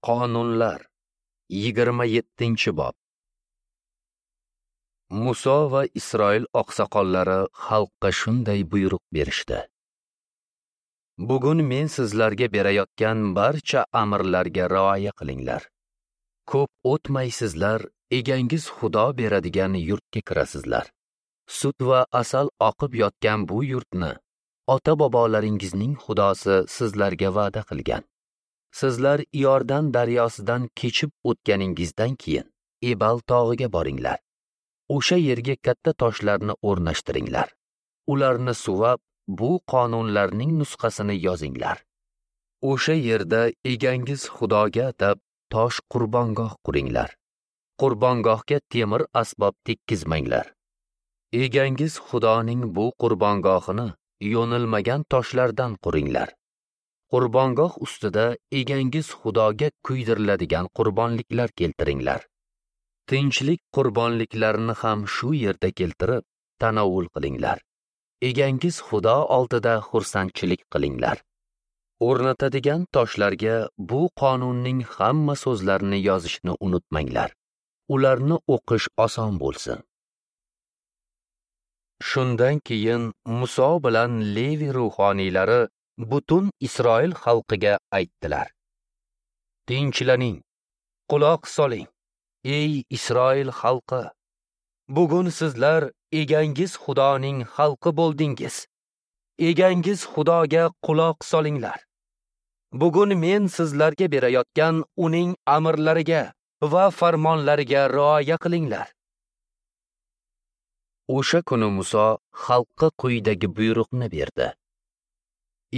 Qonunlar 27-bob. Muso va Isroil oqsoqollari xalqqa shunday buyruq berishdi: Bugun men sizlarga berayotgan barcha amrlarga rioya qilinglar. Ko'p o'tmay sizlar egangiz Xudo beradigan yurtga kirasizlar. Sut va asal oqib yotgan bu yurtni ota-bobolaringizning Xudosi sizlarga va'da qilgan. Sizlar Iordan daryosidan kechib o'tganingizdan keyin Ebal tog'iga boringlar. O'sha yerga katta toshlarni o'rnashtiringlar. Ularni suvab, bu qonunlarning nusxasini yozinglar. O'sha yerda egangiz Xudoga atab tosh qurbongoh quringlar. Qurbongohga temir asbob tekkizmanglar. Egangiz Xudoning bu qurbongohini yo'nilmagan toshlardan quringlar. Qurbongoh ustida egangiz Xudoga kuydiriladigan qurbonliklar keltiringlar. Tinchlik qurbonliklarini ham shu yerda keltirib, tanovul qilinglar. Egangiz Xudo oldida xursandchilik qilinglar. O'rnatadigan toshlarga bu qonunning hamma so'zlarini yozishni unutmanglar. Ularni o'qish oson bo'lsin. Shundan keyin Muso bilan Levi ruhoniylari butun Isroil xalqiga aytdilar: Tinchlaning, quloq soling, ey Isroil xalqi! Bugun sizlar egangiz Xudoning xalqi bo'ldingiz. Egangiz Xudoga quloq solinglar. Bugun men sizlarga berayotgan uning amrlariga va farmonlariga rioya qilinglar. O'sha kuni Muso xalqqa quyidagi buyruqni berdi: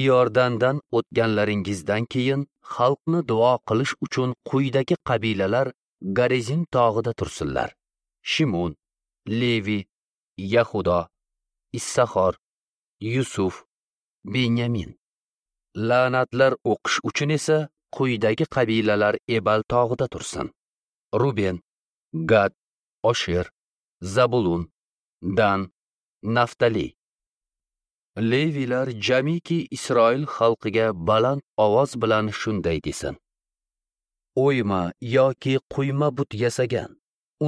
Iordandan o'tganlaringizdan keyin xalqni duo qilish uchun quyidagi qabilalar Garizim tog'ida tursinlar: Shimon, Levi, Yahudo, Issaxor, Yusuf, Benyamin. La'natlar o'qish uchun esa quyidagi qabilalar Ebal tog'ida tursin: Ruben, Gad, Osher, Zabulun, Dan, Naftali. Levilar jamiki Isroil xalqiga baland ovoz bilan shunday desin: O'yma yoki quyma but yasagan,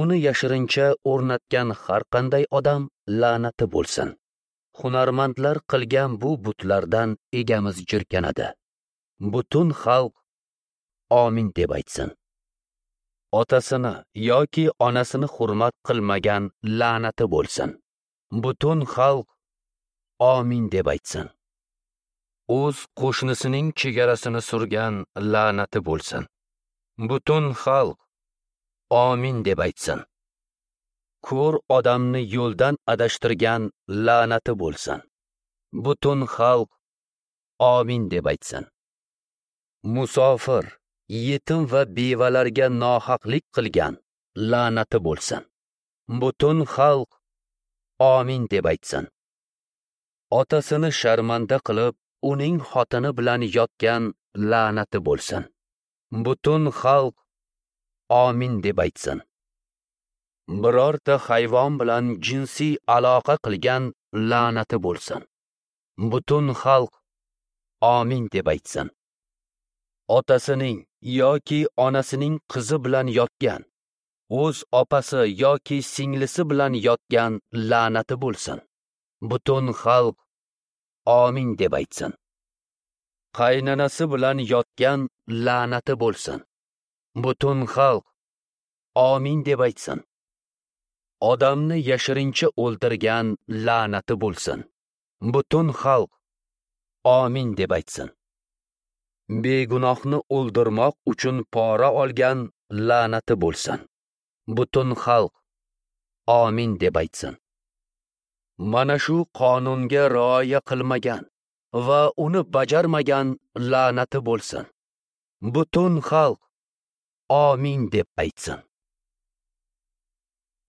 uni yashirincha o'rnatgan har qanday odam la'nati bo'lsin. Hunarmandlar qilgan bu butlardan egamiz jirkanadi. Butun xalq amin deb aytsin. Otasini yoki onasini hurmat qilmagan la'nati bo'lsin. Butun xalq amin deb aytsin. O'z qo'shnisining chegarasini surgan la'nati bo'lsin. Butun xalq amin deb aytsin. Ko'r odamni yo'ldan adashtirgan la'nati bo'lsin. Butun xalq amin deb aytsin. Musofir, yetim va bevalarga nohaqlik qilgan la'nati bo'lsin. Butun xalq amin deb aytsin. Otasini sharmanda qilib, uning xotini bilan yotgan la'nati bo'lsin. Butun xalq amin deb aytsin. Birorta hayvon bilan jinsiy aloqa qilgan la'nati bo'lsin. Butun xalq amin deb aytsin. Otasining yoki onasining qizi bilan yotgan, o'z opasi yoki singlisi bilan yotgan la'nati bo'lsin. Butun xalq amin deb aytsin. Qaynanasi bilan yotgan la'nati bo'lsin. Butun xalq amin deb aytsin. Odamni yashirincha o'ldirgan la'nati bo'lsin. Butun xalq amin deb aytsin. Begunohni o'ldirmoq uchun pora olgan la'nati bo'lsin. Butun xalq amin deb aytsin. Mana shu qonunga rioya qilmagan va uni bajarmagan la'nati bo'lsin. Butun xalq amin deb aytsin.